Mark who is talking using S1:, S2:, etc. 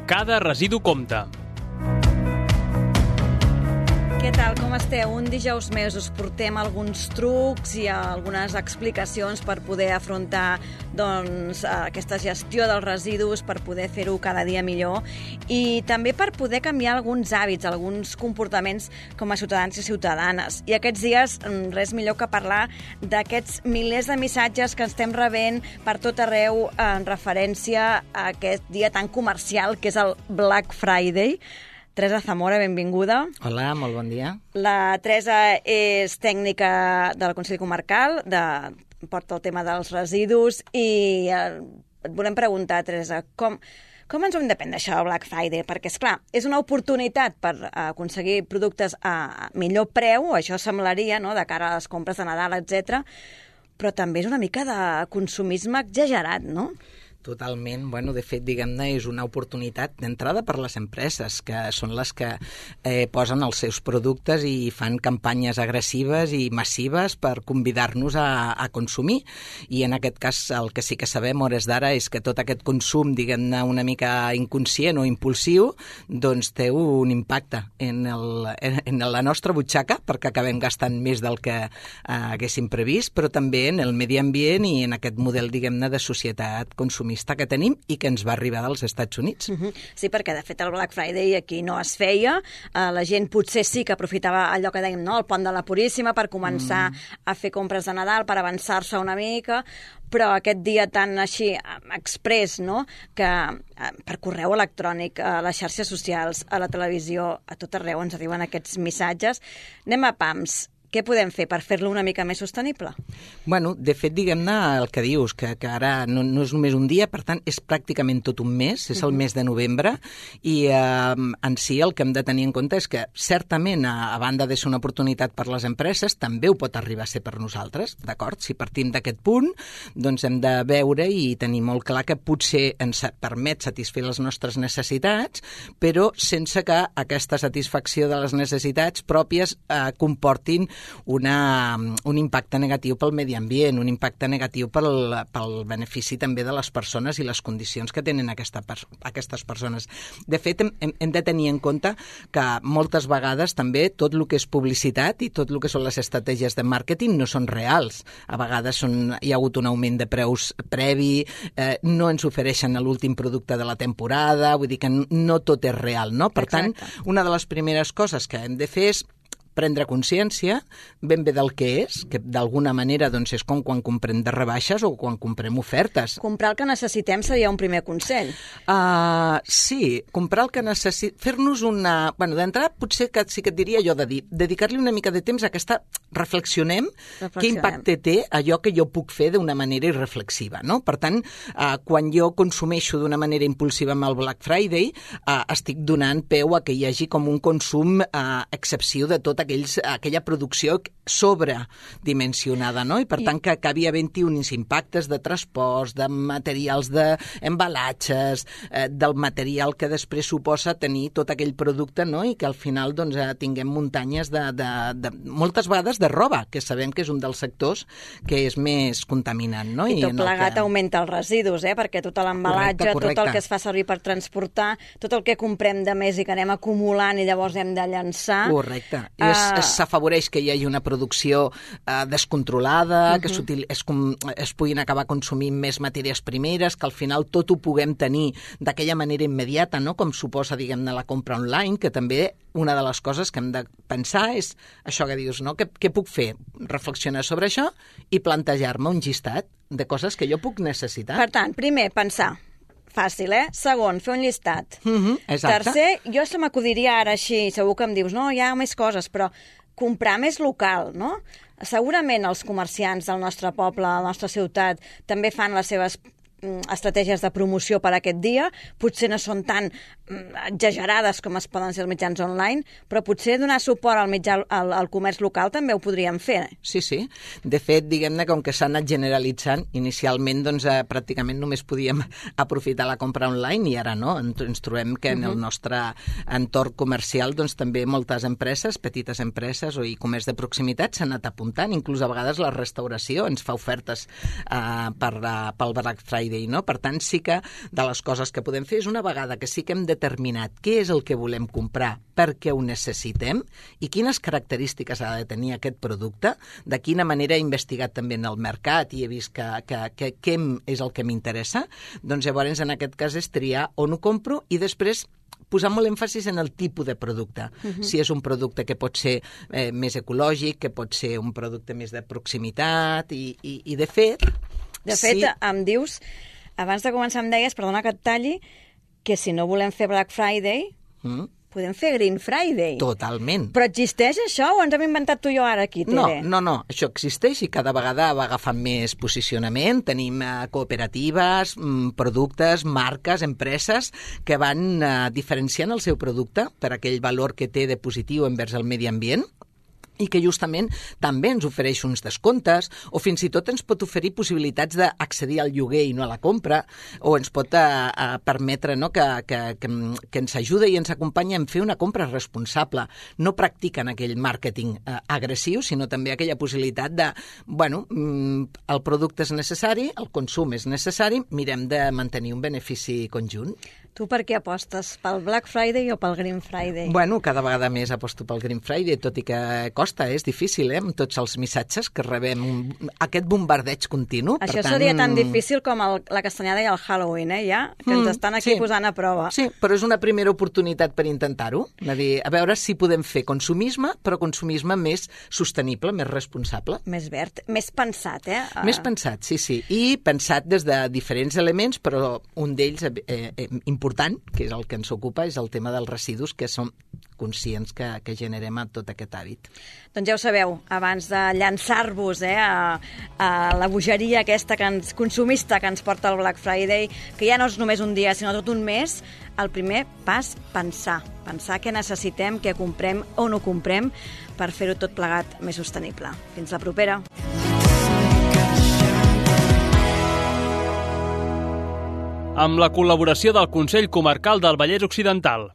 S1: Cada residu compta.
S2: Què tal, com esteu? Un dijous més us portem alguns trucs i algunes explicacions per poder afrontar aquesta gestió dels residus, per poder fer-ho cada dia millor i també per poder canviar alguns hàbits, alguns comportaments com a ciutadans i ciutadanes. I aquests dies res millor que parlar d'aquests milers de missatges que estem rebent per tot arreu en referència a aquest dia tan comercial que és el Black Friday. Teresa Zamora, benvinguda.
S3: Hola, molt bon dia.
S2: La Teresa és tècnica del Consell Comarcal, porta el tema dels residus i et volem preguntar, Teresa, com ens ho hem de prendre això del Black Friday? Perquè, esclar, és una oportunitat per aconseguir productes a millor preu, això semblaria, no?, de cara a les compres de Nadal, etc. Però també és una mica de consumisme exagerat, no?
S3: Totalment. Bueno, de fet, diguem-ne, és una oportunitat d'entrada per les empreses, que són les que posen els seus productes i fan campanyes agressives i massives per convidar-nos a consumir. I en aquest cas el que sí que sabem a hores d'ara és que tot aquest consum, diguem-ne, una mica inconscient o impulsiu, doncs té un impacte en la nostra butxaca, perquè acabem gastant més del que haguéssim previst, però també en el medi ambient i en aquest model, diguem-ne, de societat consumista que tenim i que ens va arribar dels Estats Units.
S2: Sí, perquè de fet el Black Friday aquí no es feia, la gent potser sí que aprofitava allò que dèiem, no?, el pont de la Puríssima per començar a fer compres de Nadal, per avançar-se una mica, però aquest dia tan així express, no?, que per correu electrònic, a les xarxes socials, a la televisió, a tot arreu ens arriben aquests missatges. Anem a pams. Què podem fer per fer-lo una mica més sostenible?
S3: Bueno, de fet, diguem-ne el que dius, que ara no és només un dia, per tant, és pràcticament tot un mes, és el mes de novembre, i en si el que hem de tenir en compte és que, certament, a banda de ser una oportunitat per les empreses, també ho pot arribar a ser per nosaltres, d'acord? Si partim d'aquest punt, doncs hem de veure i tenir molt clar que potser ens permet satisfer les nostres necessitats, però sense que aquesta satisfacció de les necessitats pròpies comportin un impacte negatiu pel medi ambient, un impacte negatiu pel benefici també de les persones i les condicions que tenen aquestes persones. De fet, hem de tenir en compte que moltes vegades també tot el que és publicitat i tot el que són les estratègies de màrqueting no són reals. A vegades hi ha hagut un augment de preus previ, no ens ofereixen l'últim producte de la temporada, vull dir que no tot és real, no? Per tant, una de les primeres coses que hem de fer és prendre consciència ben bé del que és, que d'alguna manera doncs, és com quan comprem de rebaixes o quan comprem ofertes.
S2: Comprar el que necessitem seria un primer consell.
S3: Sí, comprar el que necessitem, fer-nos una... Bueno, d'entrada potser que sí que et diria jo de dedicar-li una mica de temps a aquesta... Reflexionem què impacte té allò que jo puc fer d'una manera irreflexiva, no? Per tant, quan jo consumeixo d'una manera impulsiva amb el Black Friday, estic donant peu a que hi hagi com un consum excessiu de tota aquella producció sobredimensionada, no? I per tant que acabi havent-hi uns impactes de transports, de materials d'embalatges, del material que després suposa tenir tot aquell producte, no? I que al final doncs, tinguem muntanyes de moltes vegades de roba, que sabem que és un dels sectors que és més contaminant, no?
S2: I tot plegat augmenta els residus, perquè tot l'embalatge, tot el que es fa servir per transportar, tot el que comprem de més i que anem acumulant i llavors hem de llançar.
S3: Correcte. S'afavoreix que hi hagi una producció descontrolada, que es puguin acabar consumint més matèries primeres, que al final tot ho puguem tenir d'aquella manera immediata, no? Com suposa, diguem-ne, la compra online, que també una de les coses que hem de pensar és això que dius, no? Què puc fer? Reflexionar sobre això i plantejar-me un llistat de coses que jo puc necessitar.
S2: Per tant, primer, pensar. Fàcil, Segon, fer un llistat.
S3: Exacte.
S2: Tercer, jo se m'acudiria ara així, segur que em dius, no, hi ha més coses, però comprar més local, no? Segurament els comerciants del nostre poble, de la nostra ciutat, també fan les seves estratègies de promoció per aquest dia, potser no són tan exagerades com es poden ser els mitjans online, però potser donar suport al comerç local també ho podríem fer.
S3: Sí, sí. De fet, diguem-ne, com que s'ha anat generalitzant, inicialment doncs, pràcticament només podíem aprofitar la compra online i ara no. Ens trobem que en el nostre entorn comercial doncs, també moltes empreses, petites empreses o comerç de proximitat s'han anat apuntant. Inclús a vegades la restauració ens fa ofertes pel Black Friday Friday, no? Per tant, sí que de les coses que podem fer és una vegada que sí que hem determinat què és el que volem comprar, perquè ho necessitem i quines característiques ha de tenir aquest producte, de quina manera he investigat també en el mercat i he vist què és el que m'interessa, doncs llavors en aquest cas és triar on ho compro i després posar molt èmfasis en el tipus de producte. Si és un producte que pot ser més ecològic, que pot ser un producte més de proximitat i de fet...
S2: De fet, em dius, abans de començar em deies, perdona que et talli, que si no volem fer Black Friday, podem fer Green Friday.
S3: Totalment.
S2: Però existeix això o ens hem inventat tu i jo ara aquí, Tere?
S3: No, això existeix i cada vegada va agafant més posicionament. Tenim cooperatives, productes, marques, empreses que van diferenciant el seu producte per aquell valor que té de positiu envers el medi ambient i que justament també ens ofereix uns descomptes o fins i tot ens pot oferir possibilitats d'accedir al lloguer i no a la compra o ens pot permetre que ens ajuda i ens acompanya en fer una compra responsable. No practiquen aquell màrqueting agressiu, sinó també aquella possibilitat de, el producte és necessari, el consum és necessari, mirem de mantenir un benefici conjunt.
S2: Tu per què apostes? Pel Black Friday o pel Green Friday?
S3: Cada vegada més aposto pel Green Friday, tot i que costa, és difícil, amb tots els missatges que rebem, aquest bombardeig continu.
S2: Això seria tan difícil com la castanyada i el Halloween, ja? Que ens estan aquí posant a prova.
S3: Sí, però és una primera oportunitat per intentar-ho, a veure si podem fer consumisme, però consumisme més sostenible, més responsable.
S2: Més verd, més pensat,
S3: Més pensat, sí. I pensat des de diferents elements, però un d'ells important, que és el que ens ocupa, és el tema dels residus, que som conscients que generem a tot aquest hàbit.
S2: Doncs ja ho sabeu, abans de llançar-vos a la bogeria aquesta consumista que ens porta el Black Friday, que ja no és només un dia, sinó tot un mes, el primer pas, pensar què necessitem, què comprem o no comprem per fer-ho tot plegat més sostenible. Fins la propera.
S1: Amb la col·laboració del Consell Comarcal del Vallès Occidental.